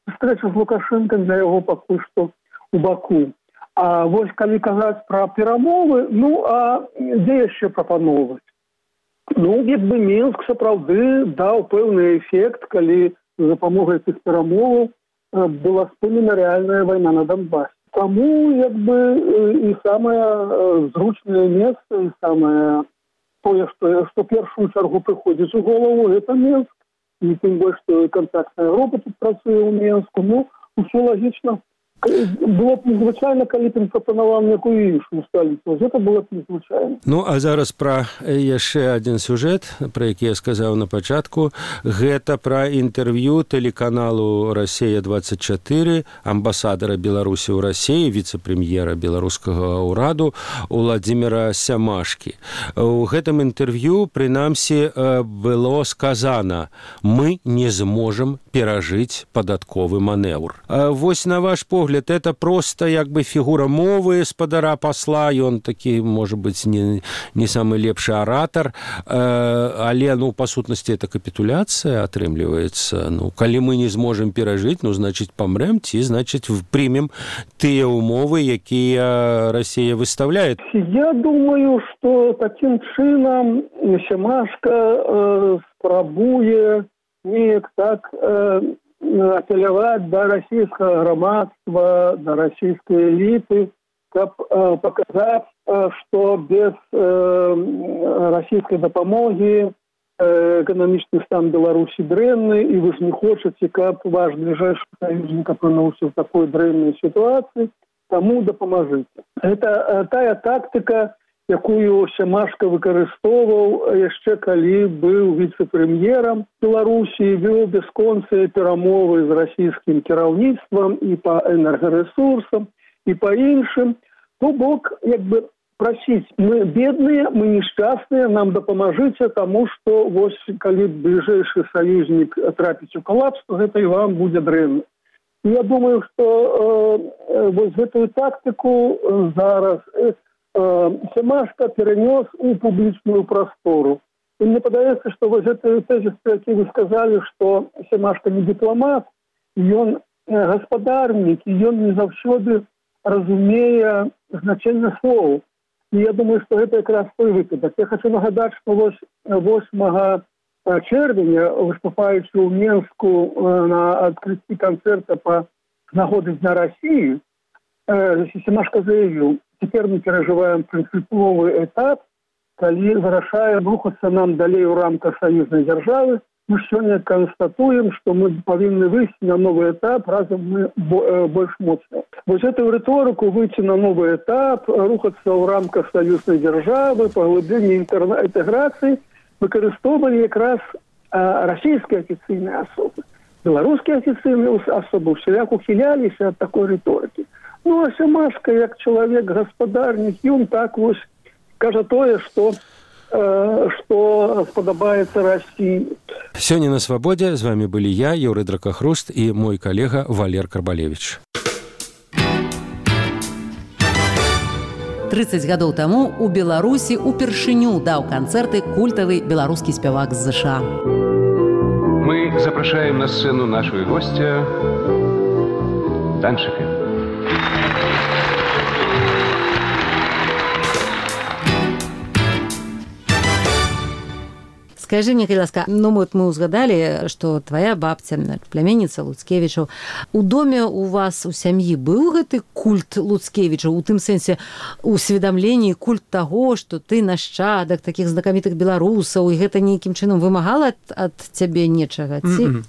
сустрэча з Лукашенко для яго пакуль што ў Баку. А вось калі казаць пра перамовы, а дзе яшчэ прапановваць? Як бы Мінск сапраўды даў пэўны эфект, калі з дапамогай тых перамоваў была спынена рэальная вайна на Донбасе. Таму, як бы, і самае зручнае месца, і самае тое, што першую чаргу прыходзіць у голову, гэта Мінск. І тым больш, што контактная група тут працуе ў Мінску. Усё лагічна. Было б незвычайна, калі б прапанаваў некую іншую сталіцу. Гэта было б незвычайна. А зараз пра яшчэ адзін сюжэт, пра які я сказаў на пачатку. Гэта пра інтэрв'ю тэлеканалу «Расія-24» амбасадара Беларусі ў Расіі, віцэ-прэм'ера беларускага ўраду Уладзіміра Сямашкі. У гэтым інтэрв'ю, прынамсі, было сказана: «Мы не зможам перажыць падатковы манеўр». Вось, на ваш погляд, это просто як бы фігура мовы спадара пасла, ён такі, можа быць, не самы лепшы аратар, але, па сутнасці, это капітуляцыя атрымліваецца. Калі мы не зможам перажыць, значыць, памрэм, ці, значыць, прымем тыя умовы, якія Расія выставляе. Я думаю, што такім чынам Сямашка спрабуе неяк так апеляваць да расійскага грамадства, да расійскай эліты, каб паказаць, што без расійскай дапамогі эканамічны стан Беларусі дрэнны, і вы ж не хочаце, каб ваш бліжэйшы саюзнік апынуўся ў такой дрэннай сітуацыі, таму дапамажыце. Гэта тая тактыка, якую Семашка выкарыстоўваў яшчэ калі быў віцэ-прэм'ерам Беларусі, вёў бясконцыя перамовы з расійскім кіраўніцтвам і па энергарэсурсам, і па іншым. То бок, прасіць, мы бедныя, мы несчастныя, нам дапамажыце, таму што вось калі бліжэйшы саюзнік трапіць у калапс, то гэта і вам будзе дрэнна. Я думаю, што вось гэтую тактыку зараз Семашка перенёс у публічную прастору. І мне падаецца, што вось гэты тезіс, які вы сказалі, што Семашка не дыпламат, ён гаспадарнік, і ён не заўсёды разумее значэнне слоў. І я думаю, што гэта якраз той выпадак. Я хочу нагадаць, што вось 8 чэрвеня, выступаючы ў Менску на адкрыцці канцэрта па нагоды Дня России, Семашка заявіў: «Теперь мы переживаем принциповый этап, когда вырашаем рухаться нам далее в рамках союзной державы. Мы сегодня констатуем, что мы повинны выйти на новый этап, разом мы больше мощные». Вот эту риторику выйти на новый этап, рухаться в рамках союзной державы, поглубление интеграции выкористовывали как раз российские официальные особы. Белорусские официальные особы всяк ухилялись от такой риторики. Ну, а Семашка, як чалавек-гаспадарнік, ён так вось кажа тое, што спадабаецца Расіі. Сёння на Свабодзе з вами былі я, Юрый Дракахруст, і мой калега Валер Карбалевич. 30 гадоў таму у Беларусі упершыню даў канцэрты культавы беларускі спявак з ЗША. Мы запрашаем на сцену нашего гостя Данчика. Скажи мне, калі ласка, мы узгадалі, што твая бабця, пляменніца Луцкевічаў, у доме у вас у сям'і быў гэты культ Луцкевічаў, у тым сэнсе усведамленні, культ таго, што ты нашчадак такіх знакамітых беларусаў, і гэта нейкім чынам вымагала ад цябе нечага, ці?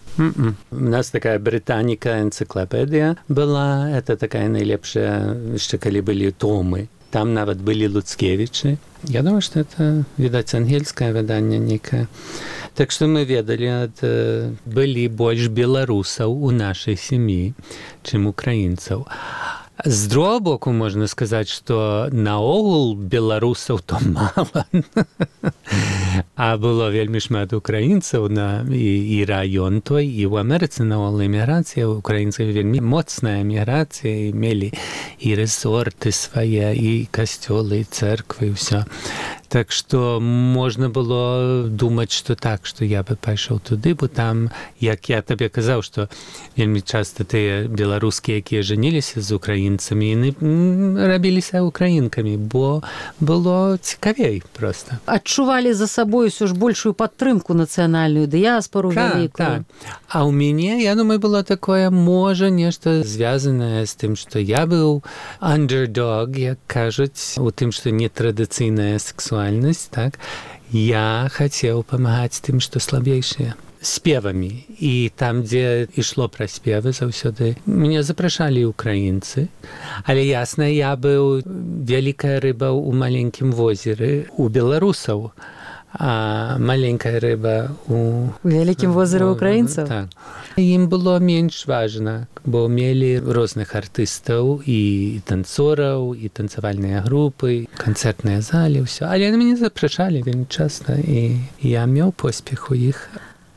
У нас такая британіка энцыклапедыя была, это такая найлепшая, яшчэ калі былі томы. Там нават былі Луцкевічы. Я думаю, што это, відаць, ангельскае выданне некае. Так што мы ведалі, былі больш беларусаў у нашай сям'і, чым украінцаў. З другого боку, можна сказаць, што наогул беларусаў то мала. А было вельмі шмат украінцаў і раён той, і ў Амерыцы наогул эміграцыя, украінцаў вельмі моцная эміграцыя, і мелі і рэсорты свае, і касцёлы, і цэрквы, і ўсё. Так што можна было думаць, што так, што я бы пайшоў туды, бо там, як я табе казаў, што вельмі часта тыя беларускія, якія жаніліся з украінцамі, яны рабіліся украінкамі, бо было цікавей проста. Адчувалі за сабой усё ж большую падтрымку нацыянальную дыяспору вялікую. Так. А ў мяне, я думаю, было такое, можа, нешта звязанае з тым, што я быў underdog, як кажуць, у тым, што нетрадыцыйная сексуальнасць, так, я хацеў памагаць тым, што слабейшыя. Спевамі. І там, дзе ішло пра спевы, заўсёды мяне запрашалі украінцы. Але ясна, я быў вялікая рыба ў маленькім возеры у беларусаў, а маленькая рыба у вялікім возеры украінцаў. Так. Ім было менш важна, бо мелі розных артыстаў і танцораў, і танцавальныя групы, канцэртныя залі, ўсё. Але мяне запрашалі вельмі часта, і я меў поспех у іх.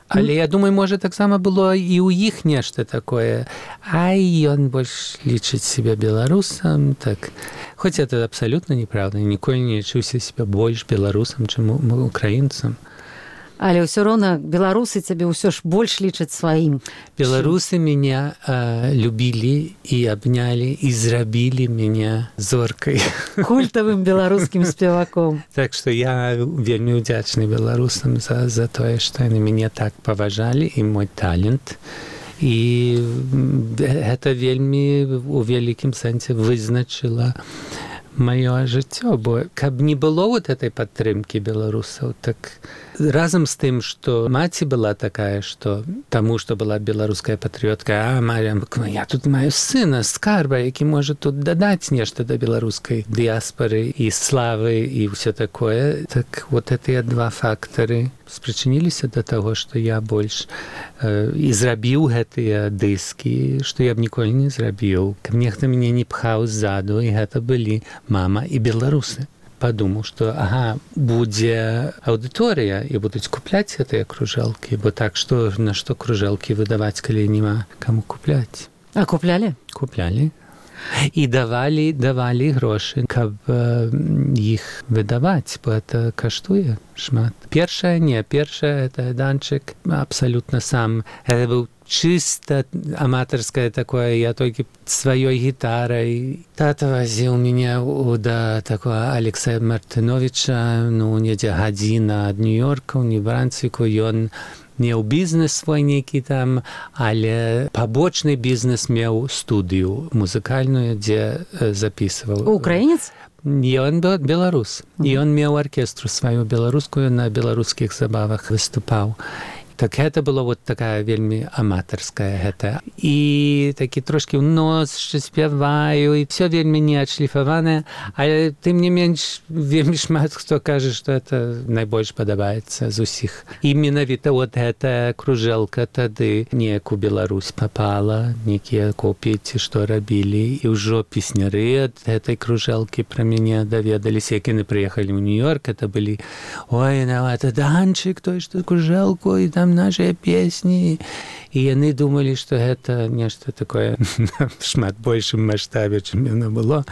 Але я думаю, можа, таксама было і ў іх нешта такое. Ай, ён больш лічыць себе беларусам, так. Хоць это абсалютна неправда. Ніколі не лічыўся себе больш беларусам, чым украінцам. Але ўсё роўна беларусы цябе ўсё ж больш лічаць сваім. Беларусы мяне любілі і абнялі і зрабілі мяне зоркай. Культавым беларускім спеваком. Так што я вельмі ўдзячны беларусам за тое, што яны мяне так паважалі, і мой талент. І гэта вельмі у вялікім сэнсе вызначыла маё жыццё, бо каб не было вот этой падтрымкі беларусаў, так разам з тым, што маці была такая, што таму, што была беларуская патрыётка, я тут маю сына, скарба, які можа тут дадаць нешта да беларускай дыяспары і славы і ўсё такое. Так вот гэтыя два фактары спрычыніліся да таго, што я больш і зрабіў гэтыя дыскі, што я б ніколі не зрабіў. Каб нехта мяне не пхаў ззаду, і гэта былі мама і беларусы. Падумаў, што будзе аўдыторыя і будуць купляць гэтыя кружэлкі, бо так што на што кружэлкі выдаваць, калі няма каму купляць. А куплялі? Куплялі. І давалі грошы, каб іх выдаваць, бо это каштуе шмат. Першае, это данчык абсалютна сам. Это быў чыста аматарскае такое, я толькі сваёй гітарай. Тата вазіў мяне да такого Алексея Мартыновича, недзе гадзіна ад Нью-Йорка, у Нью-Брансвіку. Ён меў бізнес свой нейкі там, але пабочны бізнес меў студыю музыкальную, дзе запісваў. Украінец? Ён беларус. І ён меў аркестру сваю беларускую, на беларускіх забавах выступаў. Так гэта было вот такая вельмі аматарская гэта. І такі трошкі ў нос, што спяваю, і все вельмі не адшліфаванае, але тым не менш вельмі шмат хто кажа, што это найбольш падабаецца з усіх. І менавіта вот гэтая кружэлка тады неяк у Беларусь папала, некія копіі ці што рабілі, і ўжо песняры ад гэтай кружэлкі пра мяне даведаліся, як яны прыехалі ў Нью-Йорк, это былі это Данчык, той, што кружэлку, і там нашыя песні, і яны думалі, што гэта нешта такое шмат большым маштабе, чым яно было,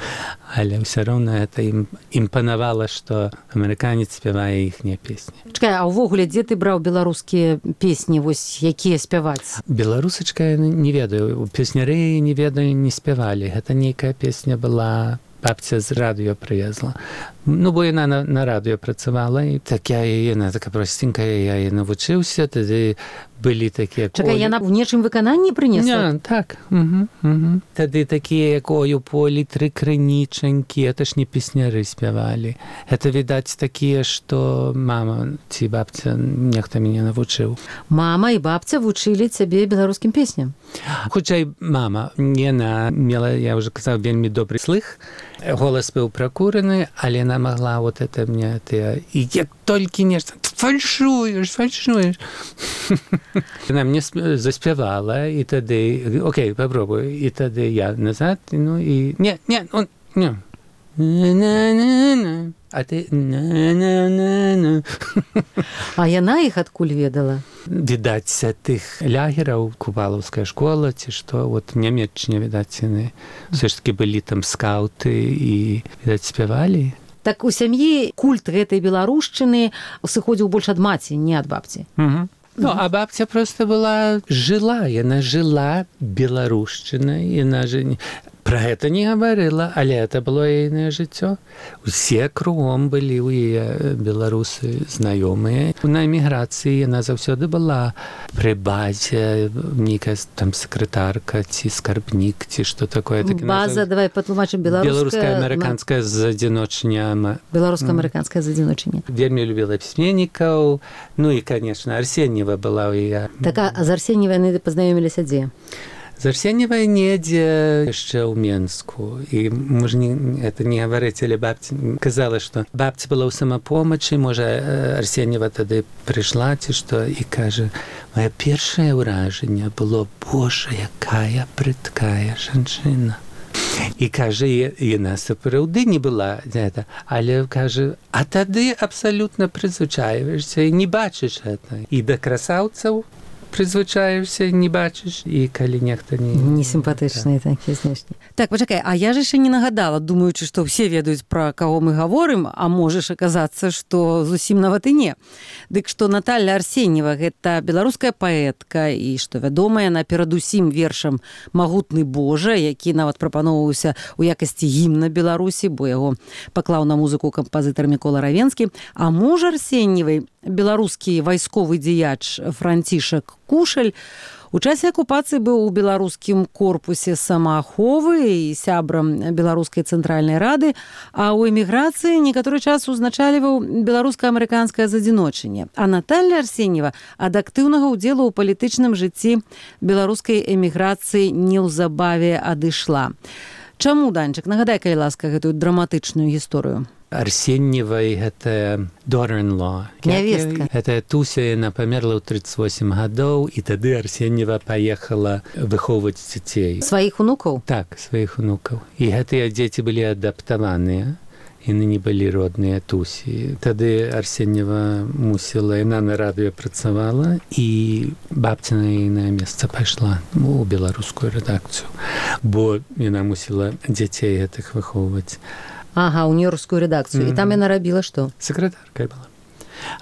але ўсё роўна гэта ім імпанавала, што амерыканец спявае іхнія песні. Чакай, а ўвогуле, дзе ты браў беларускія песні, вось якія спяваць? Беларусачка, не ведаю, песняры не ведаю, не спявалі. Гэта нейкая песня была, бабця з радыё прывезла. Бо яна на радыё працавала, і яна така простенькая, я яе навучыўся, тады былі такія... Чакай, яна ў нечым выкананні прынесла? Так. Тады такія, як «Ой, у полі тры крынічанькі», это ж не песняры спявалі. Это, відаць, такія, што мама ці бабця нехта мяне навучыў. Мама і бабця вучылі цябе беларускім песням? Хутчэй, мама. Яна мела, я ўжо казаў, вельмі добры слых. Голас быў пракураны, але яна магла вот это мне... І як толькі нешта... Фальшуеш. Яна мне заспявала, і тады... Окей, попробуй. І тады я назад, і... Не. А ты... А яна іх адкуль ведала? Відаць, тых лягераў, купалаўская школа, ці што, вот нямецчыне, відаць, яны все ж таки былі там скаўты і, відаць, спявалі. Так у сям'і культ гэтай беларушчыны сыходзіў больш ад маці, не ад бабці. А бабця просто яна жила беларушчынай, яна же пра гэта не гаварыла, але это было яйнае жыццё. Усе кругом былі ў яе беларусы знаёмыя. На эміграцыі яна заўсёды была пры базе, нейкая там сакратарка ці скарбнік, ці што такое. База, давай патлумачым, беларуска-амерыканская задзіночня. Беларуска-амерыканская задзіночня. Вельмі любіла пісьменнікаў, і, конечно, Арсеньева была ў яе. Так, а з Арсеньевай яны пазнаёміліся дзе? З Арсеньевай недзе яшчэ ў Менску. І можа это не гаварыць, але бабця казала, што бабця была ў самапомачы, можа Арсеньева тады прыйшла ці што, і кажа, моё першае ўражанне было: Божа, якая прыткая жанчына. І кажа, яна сапраўды не была гэта, але кажа, а тады абсалютна прызвычаіваешся і не бачыш гэта. І да красаўцаў прызвычаешся, не бачыш, і калі нехта не сімпатычныя такія знешні. Так, пачакай, а я ж яшчэ не нагадала, думаючы, што ўсе ведаюць, пра каго мы гаворым, а можаш аказацца, што зусім нават і не. Дык што Наталья Арсеньева — гэта беларуская паэтка, і што вядома, яна перадусім вершам «Магутны Божа», які нават прапаноўваўся ў якасці гімна Беларусі, бо яго паклаў на музыку кампазітар Мікола Равенскі. А муж Арсеньевай беларускі вайсковы дзеяч Францішак Кушаль у часе акупацыі быў у беларускім корпусе самааховы і сябрам беларускай цэнтральнай рады, а ў эміграцыі некаторы час узначальваў беларуска-амерыканскае задзіночанне. А Наталья Арсеньева ад актыўнага ўдзелу ў палітычным жыцці беларускай эміграцыі неўзабаве адышла. Чаму, Данчык, нагадай, калі ласка, гэтую драматычную гісторыю? Арсеньевай гэта daughter-in-law. Нявестка. Гэта Туся, яна памерла ў 38 гадоў, і тады Арсеньева паехала выхоўваць дзяцей. Сваіх унукаў? Так, сваіх унукаў. І гэтыя дзеці былі адаптаваныя. Яны не былі родныя Тусі. Тады Арсеньева мусіла, яна на радыё працавала, і бабця на ейнае месца пайшла у беларускую рэдакцыю, бо яна мусіла дзяцей гэтых выхоўваць. Ага, у нью-йоркскую рэдакцыю. І там яна рабіла што? Сакратаркай была.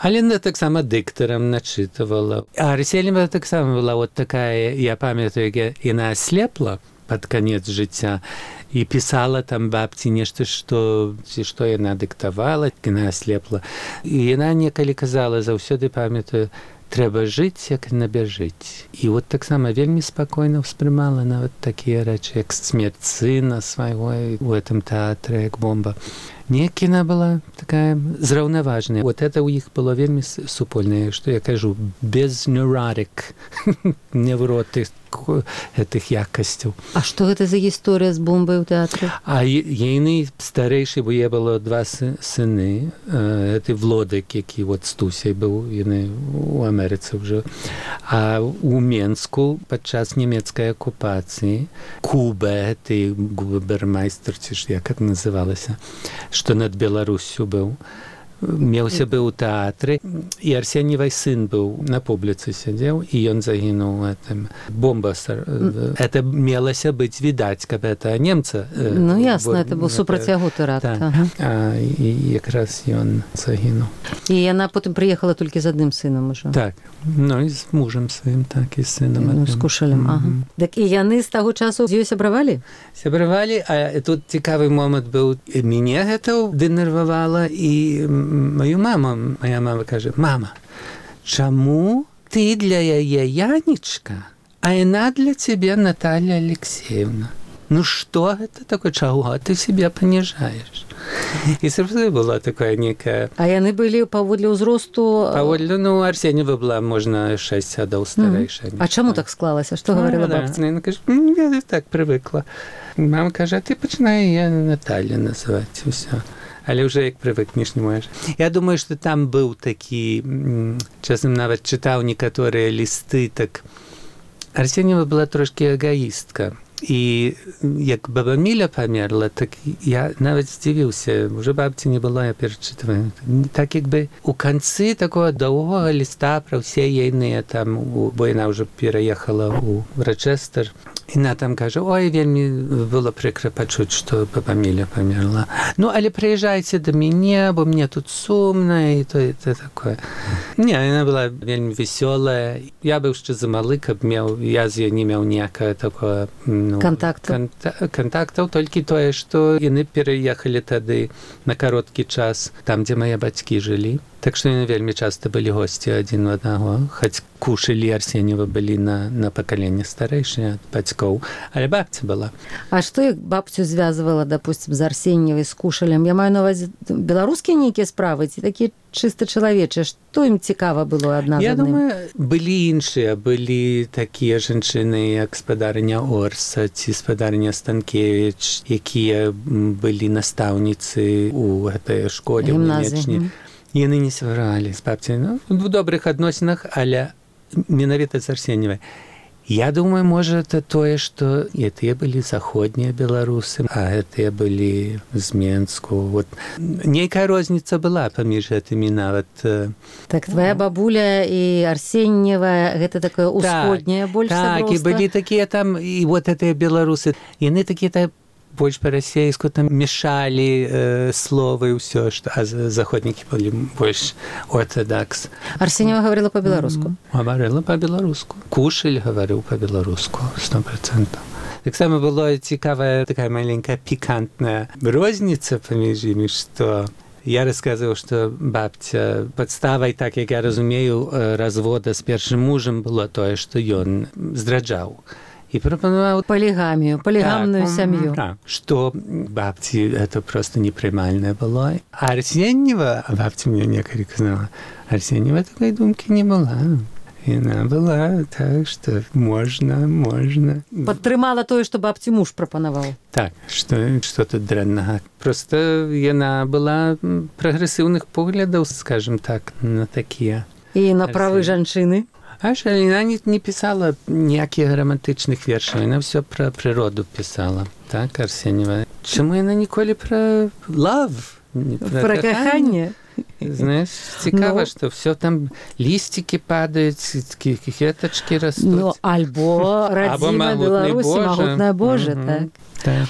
Але яна таксама дыктарам начытывала. А Арсеньева таксама была вот такая, я памятаю, яна аслепла пад канец жыцця і пісала там бабці нешта, што яна дыктавала, яна аслепла. І яна некалі казала, заўсёды памятаю, трэба жыць, як набяжыць. І вот таксама вельмі спакойна ўспрымала нават такія рэчы, як смерць сына свайго у гэтым тэатры, як бомба. Неяк яна была такая зраўнаважная. Вот это ў іх было вельмі супольнае, што я кажу, без neurotic, невроты гэтых якасцяў. А што гэта за гісторыя з бомбай у тэатры? А ейны старэйшы, бо я было два сыны, гэты Влодак, які вот з Тусяй быў, яны у Амерыцы ўжо. А у Менску падчас нямецкай акупацыі Куба, гэты губермайстер, ці ж як это называлася, што над Беларусю быў, меўся быў у тэатры, і Арсеньевай сын быў на публіцы сядзеў, і ён загінуў гэтым. Бомба. Это мелася быць відаць, каб это немца. Ну, ясна, это быў супрацьягу тэракт. І якраз ён загінуў. І яна потым прыехала толькі з адным сынам ужо. Так, ну і з мужам сваім, так, і з сынам. З Кушалем, ага. Так і яны з таго часу з ёй сябравалі? Сябравалі, а тут цікавы момант быў. Мяне гэта дэнервавала, і маю маму, моя мама кажа, мама, чаму ты для яе Янечка, а яна для цябе Наталья Алексеевна? Ну што гэта такое, чаго ты себе паніжаеш? І сапраўды была такая некая... А яны былі паводле ўзросту... Паводле, ну, Арсеньева была, можна, 6 гадоў старэйшая. А чаму так склалася? Што гаварыла бабця? Яна кажа, я так прывыкла. Мама кажа, а ты пачынай яе Наталья называць, усё. Але ўжо як прывыкнеш, не можаш. Я думаю, што там быў такі, часам нават чытаў некаторыя лісты, так Арсеньева была трошкі эгоістка. І як баба Міля памерла, так я нават здзівіўся, уже бабці не было, я перачытваю. Так як бы у канцы такого доўгога ліста пра ўсе ейныя там, бо яна ўжо пераехала ў Рочестер, яна там кажа, ой, вельмі было прыкра пачуць, што баба Міля памерла. Ну, але прыязджайце да мяне, бо мне тут сумна, і то такое. Не, яна была вельмі весёлая. Я быў яшчэ замалы, каб я з ёй не меў ніякага такого контактаў, толькі тое, што яны пераехалі тады на кароткі час там, дзе мае бацькі жылі. Так што яны вельмі часта былі госці адзін у аднаго, хоць Кушаль і Арсеньева былі на пакаленне старэйшыя ад бацькоў, але бабця была. А што іх бабцю звязвала, допустим, з Арсеньевай, з Кушалем? Я маю на ўвазе беларускія нейкія справы, ці такія чыста чалавечыя? Што ім цікава было адна з адным? Я думаю, былі іншыя, былі такія жанчыны, як спадарыня Орса ці спадарыня Станкевіч, якія былі настаўніцы ў гэтай школе, ў Нямечні. Яны не сваралі з бабцяй, ну, в добрых адносінах, але менавіта з Арсеньевай. Я думаю, можа, это тое, што гэтыя былі заходнія беларусы, а гэтыя былі з Менску. Вот. Нейкая розніца была паміж гэтымі нават. Так, твоя бабуля і Арсеньева, гэта такое усходняе больш сяброўства? Так, і былі такія там, і вот гэтыя беларусы, яны такія больш па-расейску там мешалі словы і ўсё, а заходнікі былі больш ортодакс. Арсеньева гаварыла па-беларуску? Гаварыла па-беларуску. Кушаль гаварыў па-беларуску, 100%. Таксама была цікавая такая маленькая пікантная розніца паміж імі, што Я рассказывал, что бабця подставай, так як я разумею, развода з першым мужам было тое, што ён здраджаў. И пропонувал полигамную сям'ю. Да, что бабці это просто непрымальнае было. А Арсеньева, бабця мне некалі казала, Арсеньева такой думкі не была. Яна была так, што можна. Падтрымала тое, што бабці муж прапанаваў. Так, што тут дрэннага. Просто яна была прагрэсіўных поглядаў, скажем так, на такія. І на правы жанчыны. Яна не пісала ніякіх романтычных вершаў, яна ўсё пра прыроду пісала. Так, Арсеньева. Чаму яна ніколі пра love? Пра каханне? Знаешь, цікава, што ўсё там лісцікі падаюць, кветачкі растуць. Альбо радзіма Беларусі, магутная Божа, так.